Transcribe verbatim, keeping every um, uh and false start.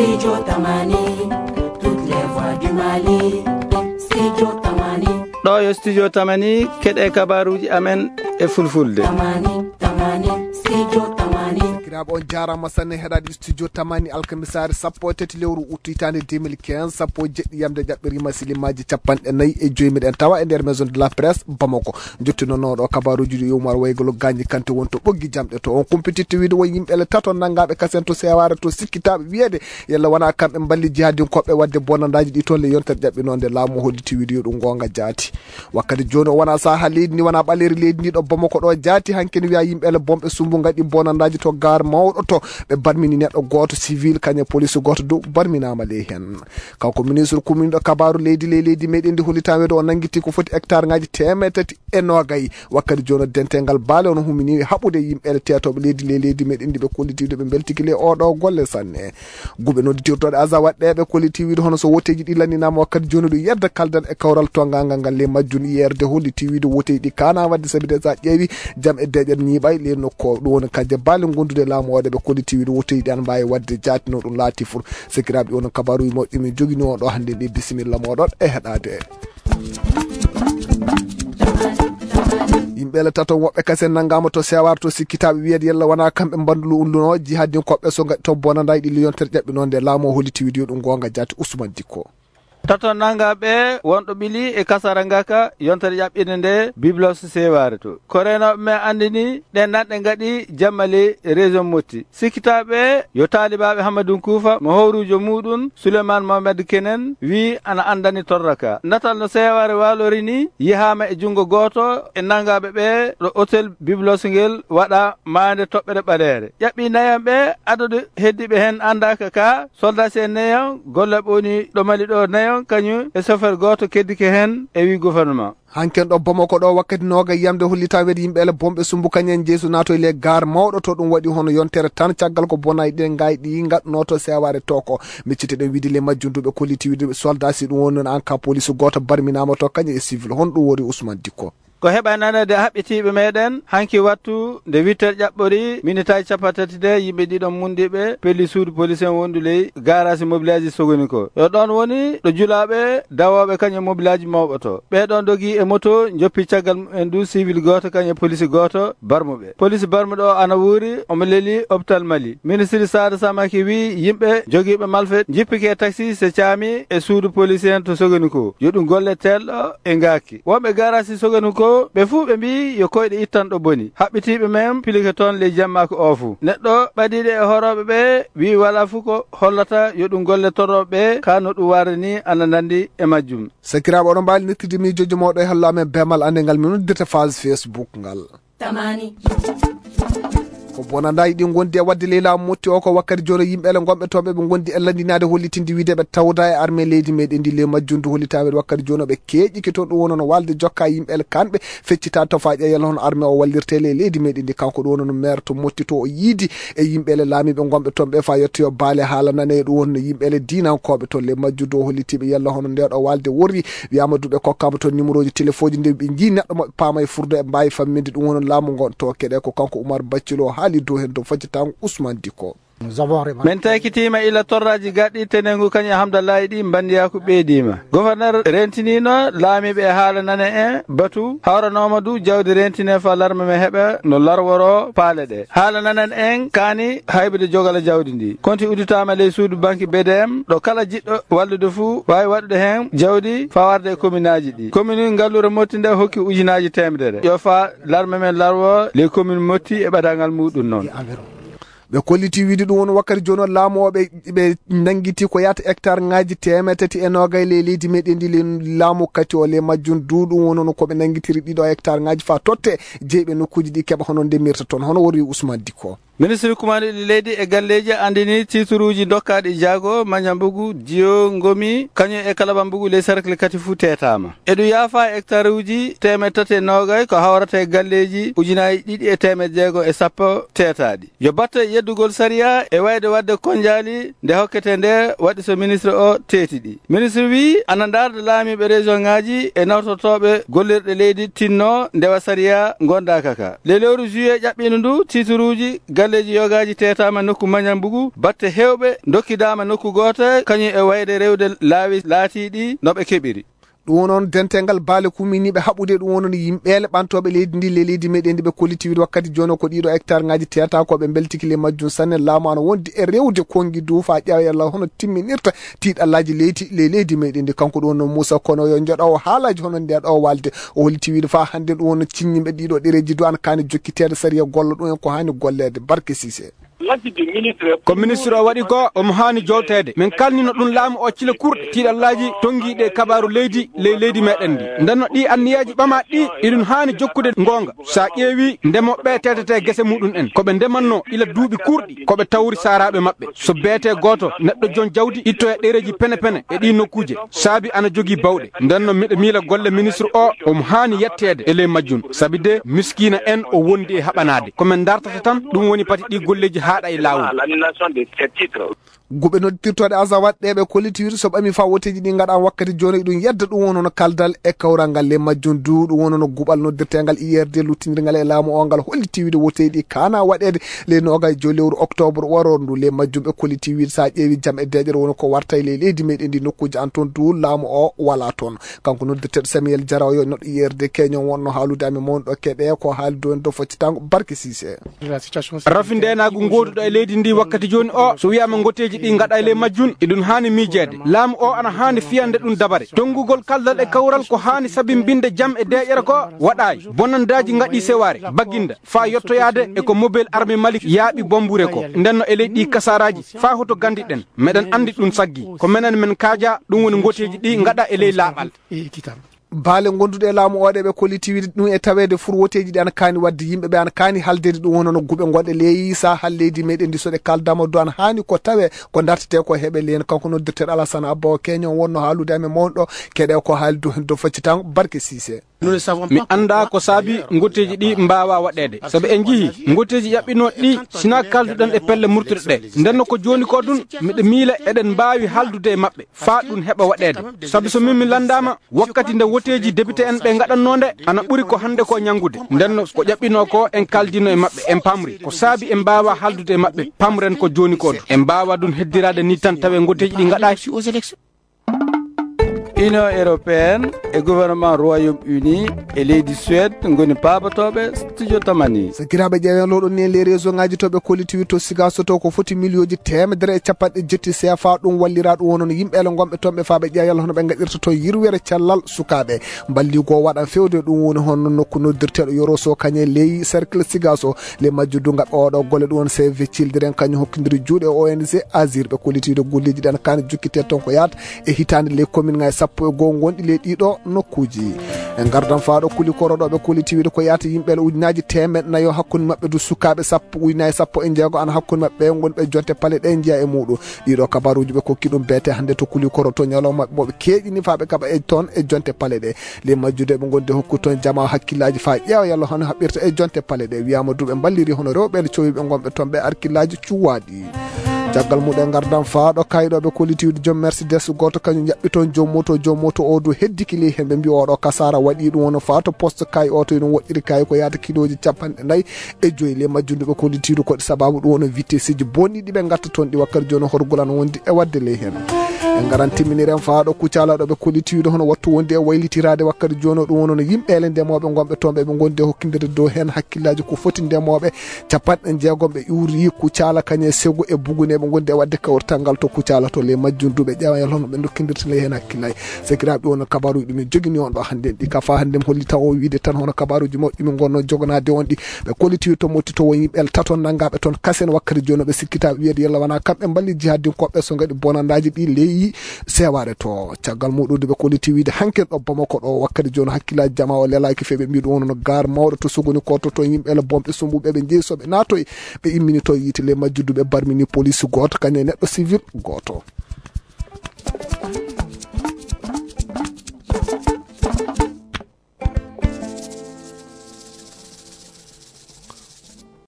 Studio Tamani, toutes les voix du Mali. Studio Tamani. Ɗo yo Studio Tamani, keɗe kabaruuji amen e fulfulde. Tamani, Tamani, Studio Tamani. Sakiraaɓe, on jaaraama sanne heɗaade Studio Tamani, alkamisaare sappo e tati lewru août hitaande deux mille quinze, sappo e jeɗɗi yamde jaɓɓiriima silimaaji capanɗe nayi e joy. Miɗen tawa e nder Maison de la Presse Bamako. Jottinooɗo kabaruuji ɗi Umar Waygolo Gaañi Kante won to ɓoggi jamɗe to. On kumpititte wiide won yimɓe le tato nanngaaɓe kasen to Seewaare to sikkitaaɓe wiyeede yalla wonaa kamɓe mballi jihadinkooɓe waɗde bonandaaji ɗi toon le yontere ƴaɓɓinoonde laamu holliti wiide yo ɗum goonga jaati. Wakkati jooni o wonaa sahaa leydi ndi, wonaa ɓaleeri leydi ndi ɗo Bamako ɗo jaati hanki ne wiya yimɓe le bomɓe sumbu ngaɗi bonandaaji to gaar mawɗo to ɓe barmini neɗɗo gooto civil kañe police gooto dow barminaama ley heen. Kanko ministre kuminɗo kabaaru leydi ley leydi meɗen ndi hollitaa weedo o nanngiti ko foti hectare ngaji teemeɗe tati e noogay. Wakkati jooni dental ngal baale ono humini haɓude yimɓe teetooɓe leydi ley leydi meɗen ndi ɓe kolliti ɓe mbeltiki ley oɗo golle sanne. Guɓe nodditirtoɗe aza waɗɗeɓe kolliti wiide hono so woteji ɗi lanninaama wakkati jooni ɗum yedda kaldan e kawral tongangal ngal ley majjum yerde holliti wiide woteji ɗi kana wadde sabi de sa ƴeewi jam e deƴƴere ñiiɓay ley nokko ɗum woni kajje baale gondude laamu o ɗe ɓe kolliti wiide woteji ɗi ana mbawi wadde jaatino ɗum laati fur. Sakiraaɓe, ɗi woni kabaruuji mawɗi min jogini on ɗo hannde ɗi. Bisimilla mooɗon e heɗaade. Yimɓe le tato woɓɓe kasen nanngaama to Sewar to sikkitaaɓe wiyeede yalla wonaa kamɓe mbandulu ulluno jihadinkoɓe so ngaɗi to bonandaay ɗi liyontere ƴaɓɓinoonde laamu o holliti wiide yo ɗum goonga jaati. Ousmane Dikko. Tato nanngaɓe wonɗo ɓili e kasara ngaka yontere ƴaɓɓinde nde Biblos Seware to. Ko reenooɓe men anndini ɗen nanɗe ngaɗi jamma ley région Motti. Sikkitaaɓe yo taalibaaɓe Hammadun Kuufa mo howruujo muuɗum Souleymane Mohamed Kenen wii ana anndani torra ka. Natal no Seware waalori ni yehaama e junngo gooto e nanngaaɓe ɓe ɗo hôtel Biblos ngel waɗa maande toɓɓere ɓaleere. Ƴaɓɓii nayon ɓe, adadu heddiiɓe heen anndaaka ka, soldaasi en nayon, gollooɓe woni ɗo Mali ɗo nayon, kañum e chauffeur gooto keddike heen e wii gouvernement. Hanken ɗo Bamako ɗo wakkati nooga yiyamde hollitaa weɗi yimɓe ele bomɓe sumbu kañen jeesu naato e le gaar mawɗo to ɗum waɗi hono yontere tan caggal ko bonay ɗen ngaay ɗi ngaɗnooto Seware to ko. Miccite ɗen wiide le majjunduɓe kolliti wiide soldat si ɗum woni noon an ka police gooto barminaama to kañum e civil. Hon ɗum wori Ousmane Dikko. Ko heɓa nanede haɓɓitiiɓe meɗen hanki wattu nde huit heures ƴaɓɓori minitaaji cappanɗe tati de yimɓe ɗiɗon mundiɓe pelli suudu police en wondu ley garage mobilaaji Sogoni ko. Yo ɗon woni ɗo julaaɓe dawooɓe kañum mobilaaji mawɓe to. Ɓee ɗon dogi e moto, njoppi caggal mumen du civil gooto kañum e police gooto barmuɓe. Police barmuɗo o ana wuuri, omo leli hôpital Mali. Ministre Sada Samake wi yimɓe jogiiɓe malfait njippike taxi se caami e suudu police en to Sogoni ko. Yo ɗum golle teelɗo e ngaaki. Wonɓe garage Sogoni ko, ɓe fuu ɓe mbi yo koyɗe ittan ɗo boni. Haɓɓitiiɓe men pilike toon ley jammaako o fuu. Neɗɗo ɓadiiɗo e horooɓe ɓe wi wala fuu ko hollata yo ɗum golle torrooɓe ɓe ka no ɗum warde ni ana nandi e majjum. Sakiraaɓe, oɗon mbaawi nittude miijooji mawɗo e hallo amen beemal annde ngal min noddirta phase Facebook ngal. Tamani. Ko bonandaji ɗi gondi e wadde ley laamu Motti o ko wakkati jono yimɓe ele gonɓe toon ɓe ɓe gondi e landinaade hollitinde wiide ɓe tawda e armée leydi meɗen ndi ley majjundu hollitaɓe wakkati jono ɓe keeƴi ke toon ɗum wono no walde jokka yimɓe ele kanɓe feccita tofaƴe yalla hono armée o wallirte ley leydi meɗen ndi kanko ɗum wono no maire to Motti to o yiidi e yimɓe ele laamiɓe gonɓe toon ɓe fa yettoyo baale haala nane ɗum wonno yimɓe ele diinankoɓe toon ley majjundu o hollitiɓe yalla hono ndeɗo walde worri wiyama duɓe kokkama toon numéro ji téléphone ji nde ɓe jii neɗɗo moɓe paama e furdo e mbawi famminde ɗum wono laamu ngon to keɗe ko kanko Oumar Baccilo haali dow hen dow faccitango Ousmane Dikko. Min takitima ila torraji gaɗɗi tenengu kañum e Hamdallahi ɗi mbandiyaku ɓeydima. Gouverneur rentinino laamiɓe e haala nane en batu hawranoma du jawdi rentine fa larme men heɓa no larworo paale ɗe. Haala nanan en kaani haybude jogala jawdi ndi. Konti udditama ley suudu banki B D M ɗo kala jiɗɗo wallude fuu wawi waɗude hen jawdi fa warde e kominaji ɗi. Komini ngallure Motti nde hokki ujunaji temedere. Yo fa larme men larwo ley komini Motti e ɓadagal muɗum noon. Ɓe kolliti wiide ɗum woni wakkati jooni o laamu o ɓe ɓe nanngiti ko yahata hectare ngaji teemeɗe tati e noogay ley leydi meɗen ndi ley laamu kati o ley majjum du ɗum woni no ko ɓe nanngitiri ɗiɗo hectare ngaji fa totte jeyɓe nokkuji ɗi keɓa hono ndemirta toon hono wori Ousmane Dikko. Ministre kumanɗo ɗi leydi e galleji andini tituruji dokkaɗi jaago mañambugu diyo ngomi kañum e kalabambugu ley cercle kati fuu tetama. E ɗum yaafa hectare uji teemeɗe tati e noogay ko hawrata e galleji ujunaji ɗiɗi e teemeɗe jeego e sappo tetaɗi. Yo batte yeddugol sariya e wayde wadde konjaali nde hokkete nde waɗi so ministre o teeti ɗi. Ministre wi ana ndarda laamiiɓe région ngaji e nawtotooɓe gollirɗe leydi tinno ndewa sariya gondaka ka. Ley lewru juillet ƴaɓɓino ndu tituruji Leeji yogaaji teetaama nokku Mañambugu, batte heewɓe ndokkidaama nokku gooto, kañum e wayde rewde laawi laatiiɗi no ɓe keɓiri. Ɗum noon, dental ngal baale kuuminiiɓe haɓude ɗum wonno yimɓeele ɓantooɓe leydi ndi, le leydi meɗen ndi ɓe kolliti wiide wakkati jooni ko ɗiɗo hectare ngaji teeta ko ɓe mbeltiki le majjum sanne. Laamu ana wondi e rewde konngi dow faa ƴeewa yalla hono timminirta tiiɗallaaji leydi, le leydi meɗen ndi. Kanko ɗum wonno Muusa Kono yo joɗo o haalaji hono nde ɗo walde. O holliti wiide faa hannde ɗum wonno ciññiiɓe ɗiɗo ɗereeji dow ana kaani jokkiteede sariya golla ɗum en ko haani golleede. Barke Sise. Ko ministre o waɗi ko omo haani jowteede. Min kalnino ɗum laamu o cile kurɗe tiiɗallaaji tonngiiɗe e kabaaru leydi ley leydi meɗen ndi. Ndenno ɗi anniyaaji ɓamaaɗi ɗi, iɗum haani jokkude ngoonga. So a ƴeewi ndemoɓe ɓe teetete gese muɗum en, ko ɓe ndemanno ila duuɓi kurɗi, ko ɓe tawri saaraaɓe maɓɓe. So beetee gooto neɗɗo joom jawdi ittoya ɗereeji pene pene e ɗii nokkuuje, saabi ana jogii bawɗe. Ndenno miɗo miila golle ministre o omo haani yetteede e ley majjum, sabi de miskiina en o wondi e haɓanaade. Ko men dartata tan, ɗum woni pati ɗii golleeji haaɗa e laawol. Guɓe noddirtooɗe aza waɗɗeeɓe kolliti wiide so ɓami faa woteeji ɗi ngaɗa wakkati jooni ɗum yedda ɗum won hono kaldal e kawral ngal le majjum du ɗum won hono guɓal noddirteengal I R D luttindirngal e laamu o ngal holliti wiide woteeji ɗi kaana waɗeede le noogay joy lewru octobre waro ndu. Le majjum ɓe kolliti wiide so a ƴeewi jam e deeƴere woni ko warta e ley leydi meɗen ndi nokkuuji an toon du laamu o wala toon. Kanko noddirteeɗo Samuel Jara o yo neɗɗo I R D keño wonno haalude amen mawɗo keɗe ko haali dow en dow foccitango Barke Sise. Rafi ndeenaagu ngooduɗo e leydi ndi wakkati jooni o, so wiyaama ngoteeji ɗi ngaɗa e ley majjum, iɗum haani miijeede. Laamu o ana haani fiyande ɗum dabare. Tonngugol kaldal e kawral ko haani sabimbinde jam e deeƴere ko waɗaay. Bonandaaji ngaɗi sewaare, baginda, faa yottoyaade e ko mobel arme Mali yaaɓi bombure ko. Ndenno e ley ɗi kasaaraaji, faa hoto gandiɗen. Meɗen anndi ɗum saggi. Ko menen men kaaja, ɗum woni ngoteeji ɗi ngaɗa e ley laaɓal. Baale gonduɗe e laamu o ɗe ɓe kolliti wiide ɗum e taweede fur woteeji ɗi ana kaani waɗde yimɓe ɓe ana kaani haldeede ɗum wonno no guɓe gonɗe leydi saha leydi meɗen ndi so ɗe kaldama du ana haani ko tawe ko dartete ko heɓe leen. Kanko noddirteeɗo Alassane Abba o keño wonno haalude amen mawɗo keɗe ko haali du hen do faccitango Barke Sise. Mi anndaa ko saabi ngoteeji ɗi mbaawa waɗeede. Sabu en njihii ngoteeji ƴaɓɓinooɗi ɗi sinaa kalduɗen e pelle murtuɗe ɗe. Ndenno ko jooni ko ɗum miɗo miila eɗen mbaawi haldude e maɓɓe faa ɗum heɓa waɗeede. Sabu so min mi lanndaama wakkati nde woteeji debite en ɓe ngaɗannoo nde ana ɓuri ko hannde ko ñanngude. Ndenno ko ƴaɓɓinoo ko en kaldino e maɓɓe en pamri ko saabi en mbaawa haldude e maɓɓe pamren ko jooni ko ɗum. En mbaawa ɗum heddiraade ni tan tawe ngoteeji ɗi ngaɗaay. Union européenne e gouvernement Royaume-Uni e leydi Suède ngoni paabotooɓe studio Tamani. Sakiraaɓe ƴeewen lowɗon ni e les réseau ngaji to ɓe kolliti to Sigaso to ko foti miliyooji teemedere e capanɗe jetti C F A ɗum wallira ɗum wonon yimɓe ele gonɓe toon ɓe faa ɓe ƴeewa yalla hono ɓe ngaɗirta toon yirwere cellal sukaaɓe. Mballigo waɗan fewde ɗum woni hono nokku noddirteeɗo Yoro Sow kañe ley cercle Sigaso. Le majjuddu ngaɓɓe oɗo golle ɗum woni C V Children kañum hokkindiri juuɗe O N G Azir ɓe kollitiiɗo golleeji ɗi ana kaani jokkitee toon ko yaata e hitaande ley commune ngaji sappo e goo gonɗi ley ɗiɗo nokkuuji. En ngardan faaɗo Kulikoro ɗo ɓe kolliti wiide ko yaata yimɓe ele ujunaaji teemeɗɗe nayo hakkunde maɓɓe du sukaaɓe sappo ujunaaji sappo e jeego ana hakkunde maɓɓe ɓe ngoni ɓe jonte pale ɗe njeya e muuɗum. Ɗiɗo kabaruuji ɓe kokki ɗum beete hannde to Kulikoro to ñalawma maɓɓe mo ɓe keeƴini faa ɓe kaɓa e toon e jonte pale ɗe. Le majjude ɓe gonde hokku toon jama hakkillaaji faa ƴeewa yalla hono haɓɓirta e jonte pale ɗe. Wiyaama du ɓe mballiri hono rewɓe ele cowiɓe gonɓe toon ɓe arkillaaji cuwaaɗi. Caggal muɗum ngardan faa ɗo kayɗo ɓe kolliti wiide joom Mercedes gooto kañum jaɓɓi toon joom moto, joom moto o du heddiki ley heen ɓe mbi oɗo kasaara waɗi ɗum wona faa to poste kay o to ino woɗɗiri kay ko yaata kilooji capanɗe nayi e joyi le majjundu ɓe kollitiiɗo ko sababu ɗum wona vitesseji bonɗi ɗi ɓe ngatta toon ɗi wakkati jooni horgol ana wondi e waɗde ley heen. En ngaran timminiren faa ɗo Kucala ɗo ɓe kollitiiɗo hono wattu wondi e waylitiraade wakkati jooni ɗum wonono yimɓe ele ndemooɓe gonɓe toon ɓe ɓe gondi e hokkindirde dow heen hakkillaaji ko foti ndemooɓe capanɗe jeegom ɓe iwri Kucala kañe sego e bugune ɓe gondi e waɗde kawrital ngal to Kucala to le majjundu ɓe ƴeewa yalla hono ɓe dokkindirta ley heen hakkillaaji. Sakiraaɓe, won kabaruuji ɗi min jogini on ɗo hannde en ɗi. Ka faa hannde mi holli taw o wiide tan hono kabaruuji mawɗi min ngonno joganaade on ɗi. Ɓe kolliti to motti to won yimɓe tato nanngaaɓe toon kasen wakkati jooni ɓe sikkita wiyeede yalla wonaa kamɓe mballi jihadinkooɓe so ngaɗi bonandaaji ɗi leyi sewaare to. Caggal muɗum ɓe kolliti wiide hankin ɗo Bamako ɗo wakkati jooni hakkillaaji jama o lelaaki feewi ɓe mbiɗo wonno gaar mawɗo to sogoni ko to toon yimɓe ele bomɓe sumbuɓe ɓe njeyi so ɓe naatoyi ɓe immini to yiite le majjudu ɓe barmini police gooto kañum e neɗɗo civil gooto.